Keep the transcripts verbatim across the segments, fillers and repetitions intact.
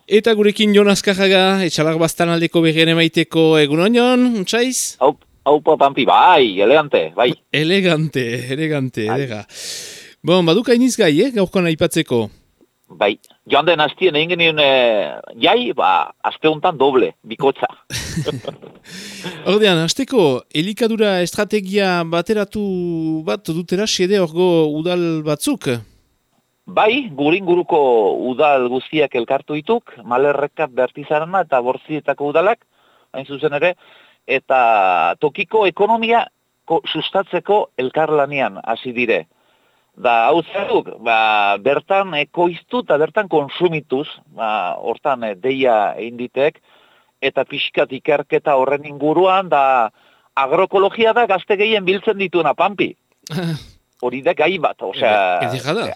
Eta gurekin Jon Azkarraga, etxalar bastan aldeko berrien emaiteko egunon, Jon, untxaiz? Hau, haupa Pampi, bai, elegante, bai. Elegante, elegante, elega. Bon, baduk hainiz gai, eh, gaurkoan aipatzeko. Bai, joan den hastien egin genien eh, jai, ba, aste honetan doble, bikotza. Ordean, hasteko, elikadura estrategia bateratu bat dutera xede orgo udal batzuk? Bai, guringuruko udal guztiak elkartu dituk, Malerreka, Bertizarana eta Bortzietako udalak, hain zuzen ere, eta tokiko ekonomia ko, sustatzeko elkarlanian hasi dire. Da, hau zeruk, ba, bertan ekoiztu eta bertan konsumituz, ba, hortan e, deia egin ditek, eta pixkat ikerketa horren inguruan, da agroekologia da gazte gehien biltzen dituena, Pampi. Hori da gai bat, osea,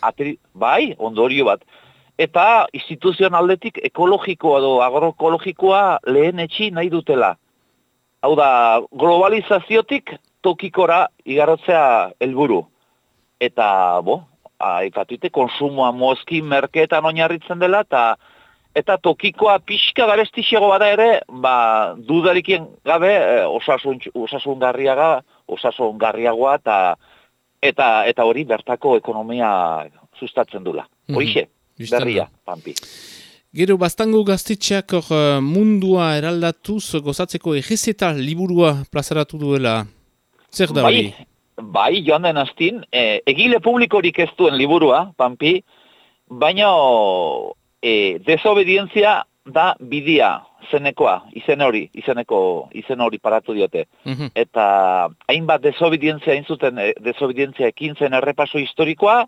ateri, bai, ondorio bat. Eta instituzioan aldetik ekologikoa edo agroekologikoa lehen etxi nahi dutela. Hau da, globalizaziotik tokikora igarotzea helburu. Eta, bo, aipatute, konsumoa mozki merkeetan oinarritzen dela, eta eta tokikoa pixka garestixego bada ere, ba, dudarikien gabe, osasun, osasungarriaga, osasungarriagoa, eta Eta eta hori bertako ekonomia sustatzen dula. Horixe, mm-hmm. Berria, Pampi. Gero, bastango gaztetxeak or, mundua eraldatuz gozatzeko egezeta liburua plazaratu duela. Zer da hori? Bai, bai, joan den hastin, e, egile publikorik ez duen liburua, Pampi, baina e, desobedientzia da bidia, zenekoa, izen hori, izeneko, izen hori paratu diote. Mm-hmm. Eta hainbat desobedientzia inzuten, desobedientzia ekintzen errepaso historikoa,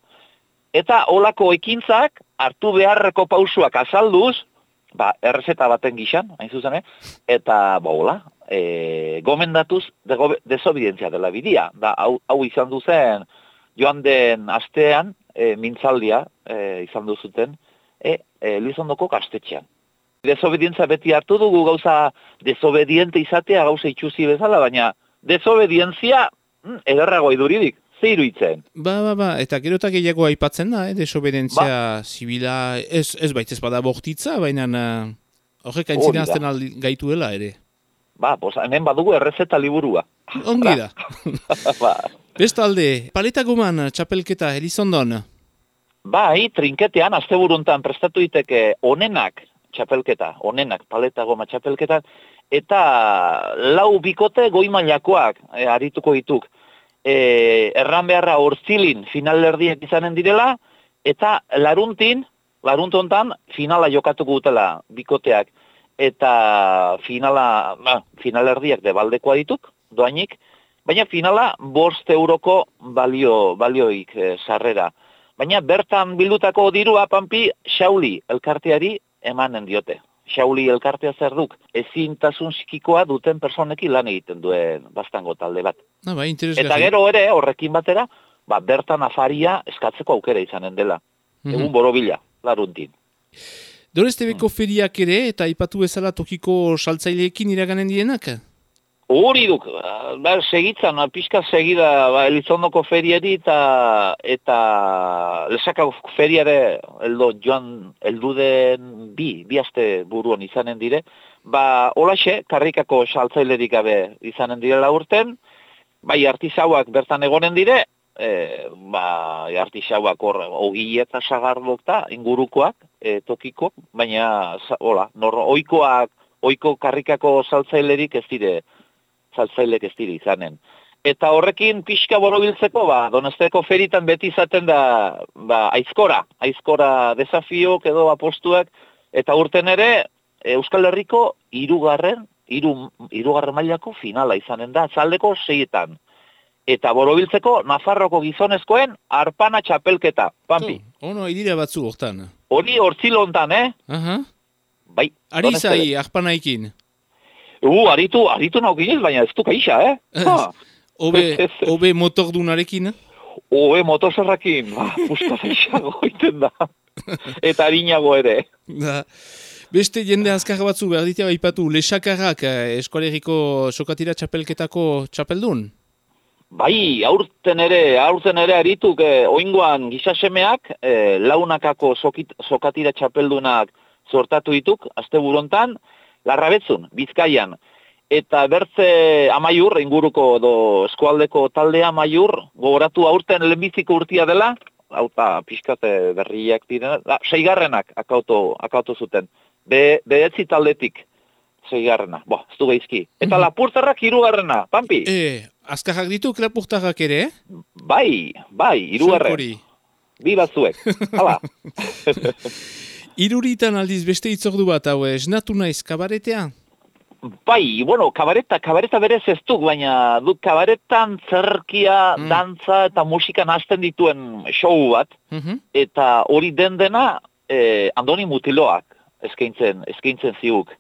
eta olako ekintzak hartu beharreko pausuak azalduz, ba, errezeta baten gixan, hain zuzen, eta, ba, hola, e, gomendatuz de, desobedientzia dela bidia. Da, hau, hau izan duzen, joan den astean, e, mintzaldia, e, izan duzuten, e, e, Lizondoko kastetxean. Desobedientzia beti hartu dugu gauza desobediente izatea gauza itxuzi bezala, baina desobedientzia mm, ederrago iduridik, ze iruitzen. Ba, ba, ba, eta gero eta gehiago aipatzen da, eh? Desobedientzia ba. Zibila, ez, ez baitez bada bortitza, baina uh, horrek aintzina azten gaituela ere. Ba, pues, hemen badugu errezeta liburua. Ongi da. Ba. Bestalde, paleta goman txapelketa Elizondon? Bai, trinketean, asteburuntan prestatu diteke onenak, txapelketa, onenak, paleta goma txapelketan, eta lau bikote goi-mailakoak e, arituko dituk. E, erran beharra Ortzilin finalerdiak izanen direla, eta laruntin, laruntontan finala jokatuko dutela bikoteak. Eta finala, ba, finalerdiak debaldekoa dituk, doainik, baina finala bost euroko balio, balioik e, sarrera. Baina bertan bildutako dirua, Pampi, Xauli elkarteari emanen diote. Xauli elkartea zer duk, ezintasun psikikoa duten personekin lan egiten duen bastango talde bat. Ah, ba, eta gero ere, horrekin batera, ba, bertan afaria eskatzeko aukera izanen dela. Mm-hmm. Egun borobila, laruntin. Dorestebeko mm. feriak ere, eta aipatu bezala tokiko saltzaileekin iraganen dienak? Hori duk, ba, segitzan, pixka segida ba, Elizondoko feriari eta eta Lesakako feriare eldo joan elduden bi, bi aste buruan izanen dire, ba holaxe, karrikako saltzailerik gabe izanen direla urten, bai artisauak bertan egonen dire, e, ba artisauak hor ogi eta sagardok eta ingurukoak, e, tokiko, baina hola, nor ohikoak, ohiko karrikako saltzailerik ez dire saltzailek ez dira izanen. Eta horrekin pixka borobiltzeko, ba, Donosteko feritan beti izaten da ba, aizkora, aizkora desafiok edo apostuak, eta urten ere Euskal Herriko hirugarren, hiru, hirugarren mailako finala izanen da, zaldeko seietan. Eta borobiltzeko Nafarroko gizonezkoen arpana txapelketa, Pampi. Oh, ono, idira batzu hortan. Hori hortzilontan, eh? Uh-huh. Bai. Ari zai, arpanaikin. Uh, aritu, aritu naukinez, baina ez du kaisa, eh? Obe, obe motordunarekin? Obe motozerrakin, ba, puska zaixago iten da. Eta harinago ere. Da. Beste jende azkar batzu, behar ditea baipatu, Lesakarrak eskoleriko sokatira txapelketako txapeldun? Bai, aurten ere, aurten ere arituk, eh, oingoan gizasemeak, eh, launakako sokit, sokatira txapeldunak sortatu dituk, azte burontan, Larrabetzun, Bizkaian. Eta bertze Amaiur, inguruko do eskualdeko taldea Amaiur, gogoratu aurten lehenbiziko urtia dela, hau eta pixkate berriak direna, da, seigarrenak akautu, akautu zuten. Be, behetzi taldetik seigarrena, bo, ez du gaizki. Eta mm-hmm. Lapurtarrak hirugarrena, Pampi? E, azkarrak ditu Lapurtarrak ere, eh? Bai, bai, hirugarren. Bi batzuek, hala. Iruritan aldiz beste itzordu bat, hau, esnatu naiz kabaretea? Bai, bueno, kabareta, kabareta berez ez duk, baina duk kabaretan zerkia, mm. dantza eta musika hasten dituen show bat, mm-hmm. eta hori den dena eh, Andoni Mutiloak eskaintzen, eskaintzen ziuk.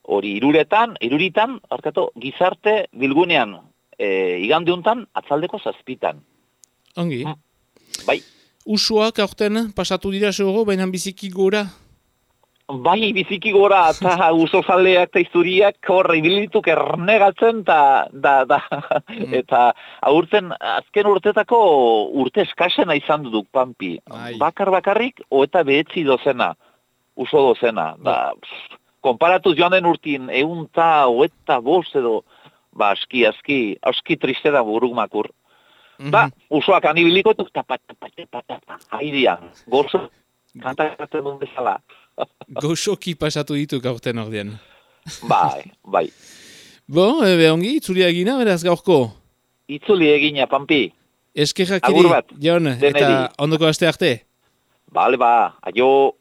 Hori iruretan, iruritan, arkatu, gizarte bilgunean, eh, igandeuntan, atzaldeko zazpitan. Ongi. Mm. Bai. Usuak aurten pasatu dira sego, baina biziki gora? Bai, biziki gora, eta uso zaleak eta izuriak horre ibilituk ernegatzen, ta, da, da, mm. eta aurten, azken urtetako urte eskasena izan duduk, Pampi. Ai. Bakar bakarrik, oeta behetzi dozena, uso dozena. Da, pff, konparatuz joan den urtin, egun ta, oeta bost edo, ba, aski, aski, aski triste da buruk makur. Mm-hmm. Ba, usoak anibiliko, eta pat, pat, pat, pat, haidian, gorzo, kantakatzen duen bezala. Goxoki pasatu ditu gaurten ordean. Bai, bai. Bo, ebe ongi, itzuli egina, beraz gaurko? Itzuli egina, Pampi. Eskerrak iri, Jon, eta ondoko aste arte? Bale, ba, aio.